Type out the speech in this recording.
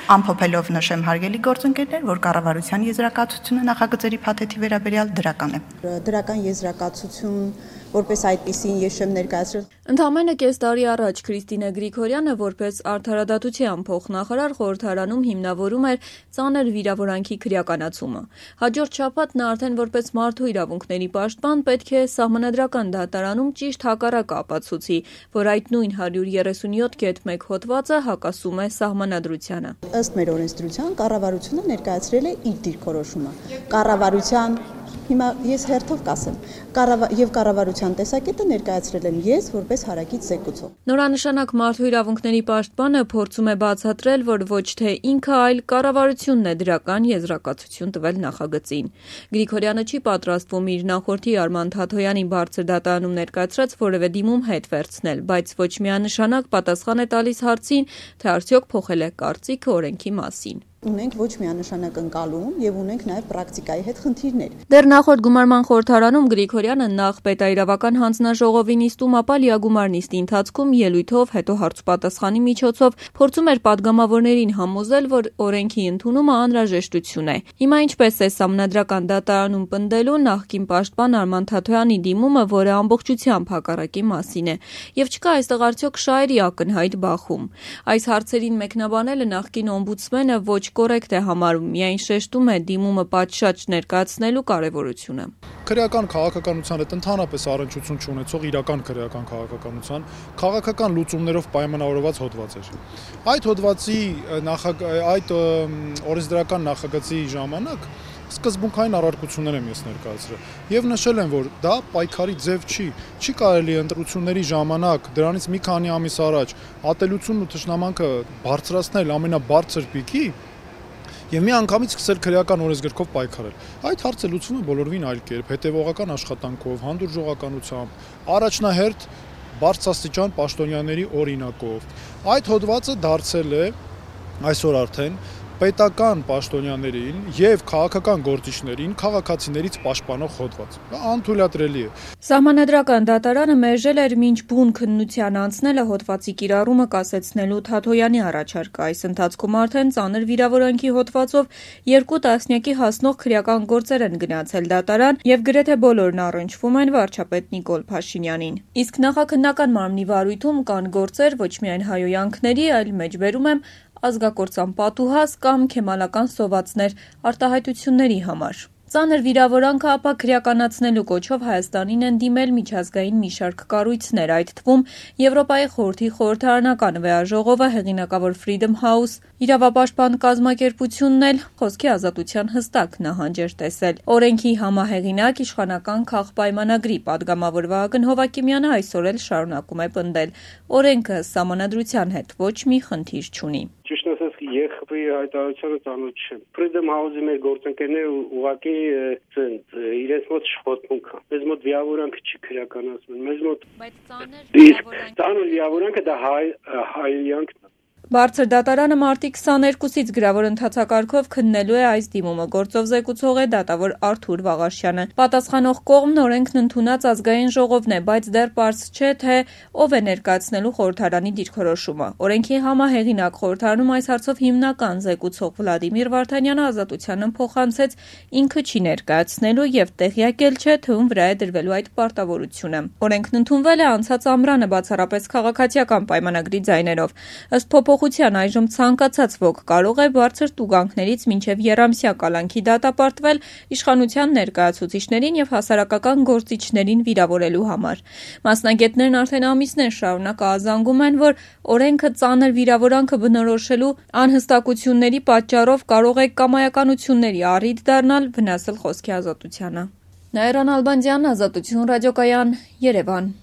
Ամփոփելով նշեմ հարգելի գործընկերներ, որ կառավարության եզրակացությունը նախագծերի փաթեթի վերաբերյալ դրական է։ Դրական եզրակացություն որպես այդպիսին ես եմ ներկայացրել։ Ընդամենը կես տարի առաջ Քրիստինե Գրիգորյանը որպես արդարադատության փոխնախարար խորհրդարանում հիմնավորում էր ծանր վիրավորանքի քրեականացումը։ Հաջորդ շաբաթ նա արդեն որպես մարդու իրավունքների պաշտպան պետք է Սահմանադրական դատարանում ճիշտ հակառակը ապացուցի, որ այդ նույն 137.1 հոդվածը հակասում է Սահմանադրությանը։ Ըստ մեր օրենսդրության կառավարությունը ներկայացրել է իր դիրքորոշումը։ Կառավարության հիմա ես հերթով կասեմ, եւ կառավարության տեսակետը ներկայացրել եմ ես որպես հարակից զեկուցող։ Նորանշանակ մարդու իրավունքների պաշտպանը փորձում է բացատրել, որ ոչ թե ինքը, այլ կառավարությունն է դրական եզրակացություն տվել նախագծին։ Գրիգորյանը չի պատրաստվում իր նախորդի Արման Թաթոյանի բարձր դատարանում ներկայացրած որևէ դիմում հետ վերցնել, բայց ոչ միանշանակ պատասխան է տալիս հարցին, թե արդյոք փոխել է կարծիքը օրենքի մասին։ Ունենք ոչ միանշանակ ընկալում եւ ունենք նաեւ պրակտիկայի հետ խնդիրներ։ Դեռ նախորդ գումարման խորհրդարանում Գրիգորյանը նախ պետաիրավական հանձնաժողովի նիստում, ապա լիագումար նիստի ընթացքում ելույթով, հետո հարցպատասխանի միջոցով փորձում էր падգամավորներին համոզել, որ օրենքի ընդունումը անհրաժեշտություն է։ Հիմա ինչպես է Սահմանադրական դատարանում պնդելու նախկին պաշտպան Արման Թաթոյանի դիմումը, որը ամբողջությամբ հակառակի մասին է, եւ չկա այստեղ արդյոք շահերի ակնհայտ բախում։ Այս հարցերին մեկնաբանելը նախկին օմբուդսմենը ոչ կորեկտ է համարում, միայն շեշտում է դիմումը պատշաճ ներկայացնելու կարևորությունը։ Քրեական քաղաքականության հետ ընդհանրապես առնչություն չունեցող իրական քրեական քաղաքականության քաղաքական լուծումներով պայմանավորված հոդված էր։ Այդ հոդվածի այդ օրենսդրական նախագծի ժամանակ սկզբունքային առարկություններ եմ ես ներկայացրել եւ նշել եմ, որ դա պայքարի ձև չի կարելի ընտրությունների ժամանակ դրանից մի քանի ամիս առաջ ատելությունն ու թշնամանքը բարձրացնել ամենաբարձր պիկի եւ մի անգամից սկսել քրեական օրենսգրքով պայքարել։ Այդ հարցը լուծվում է բոլորովին այլ կերպ, հետեւողական աշխատանքով, հանդուրժողականությամբ, առաջնահերթ բարձրաստիճան պաշտոնյաների օրինակով։ Այդ հոդվածը դարձել է այսօր արդեն պետական պաշտոնյաներին եւ քաղաքական գործիչներին քաղաքացիներից պաշտպանող հոդված։ Դա անթույլատրելի է։ Սահմանադրական դատարանը մերժել էր մինչ բուն քննության անցնելը հոդվածի կիրառումը կասեցնելու Թաթոյանի առաջարկը։ Այս ընթացքում արդեն ծանր վիրավորանքի հոդվածով 2 տասնյակի հասնող քրեական գործեր են գնացել դատարան եւ գրեթե բոլորն առնչվում են վարչապետ Նիկոլ Փաշինյանին։ Իսկ նախաքննական մարմնի վարույթում կան գործեր ոչ միայն հայոյանքների, այլ մեջբերում եմ ազգակործան պատուհաս կամ քեմալական սովածներ արտահայտությունների համար։ Ծանր վիրավորանքը ապա քրեականացնելու կոչով Հայաստանին են դիմել միջազգային մի շարք կառույցներ, այդ թվում Եվրոպայի խորհրդի խորհրդարանական վեաժողովը, հեղինակավոր Freedom House, իրավապաշտպան կազմակերպությունն էլ խոսքի ազատության հստակ նահանջ էր տեսել։ Օրենքի համահեղինակ իշխանական քաղպայմանագրի падգամավոր Վահագն Հովակիմյանը այսօր էլ շարունակում է պնդել. օրենքը Սահմանադրության հետ ոչ մի խնդիր չունի։ Ճիշտ ասած, ԵԽՊ-ի հայտարարությանը ծանոթ չեմ։ Freedom House-ի մեր գործընկերները ուղղակի իրենց մոտ շփոթմունք կա։ Մեզ մոտ վիավորանքը չի քրեականացնում։ Մեզ մոտ ծանր վիավորանքը դա հայոյանքն է։ Բարձր դատարանը մարտի 22-ից գրավոր ընթացակարգով քննելու է այս դիմումը։ Գործով զեկուցող է դատավոր Արթուր Վաղաշյանը։ Պատասխանող կողմն օրենքն ընդունած ազգային ժողովն է, բայց դեռ պարզ չէ, թե ով է ներկայացնելու խորհրդարանի դիրքորոշումը։ Օրենքի համահեղինակ խորհրդարանում այս հարցով հիմնական զեկուցող Վլադիմիր Վարդանյանը Ազատությանը փոխանցեց ինքը չի ներկայացնելու եւ տեղյակ էլ չէ, թե ում վրա է դրվելու այդ պարտավորությունը։ Օրենքն ընդունվել է անցած ամռանը բացառապես քաղաքացիական պայմանագրի ձայներով։ Ըստ փոփոխության այժմ ցանկացած ոք կարող է բարձր տուգանքներից մինչև եռամսյա կալանքի դատապարտվել իշխանության ներկայացուցիչներին եւ հասարակական գործիչներին վիրավորելու համար։ Մասնագետներն արդեն ամիսներ շարունակ ազանգում են, որ օրենքը ծանր վիրավորանքը բնորոշելու անհստակությունների պատճառով կարող է կամայականությունների առիթ դառնալ, վնասել խոսքի ազատությանը։ Նաիրա Նալբանդյան, Ազատություն ռադիոկայան, Երևան։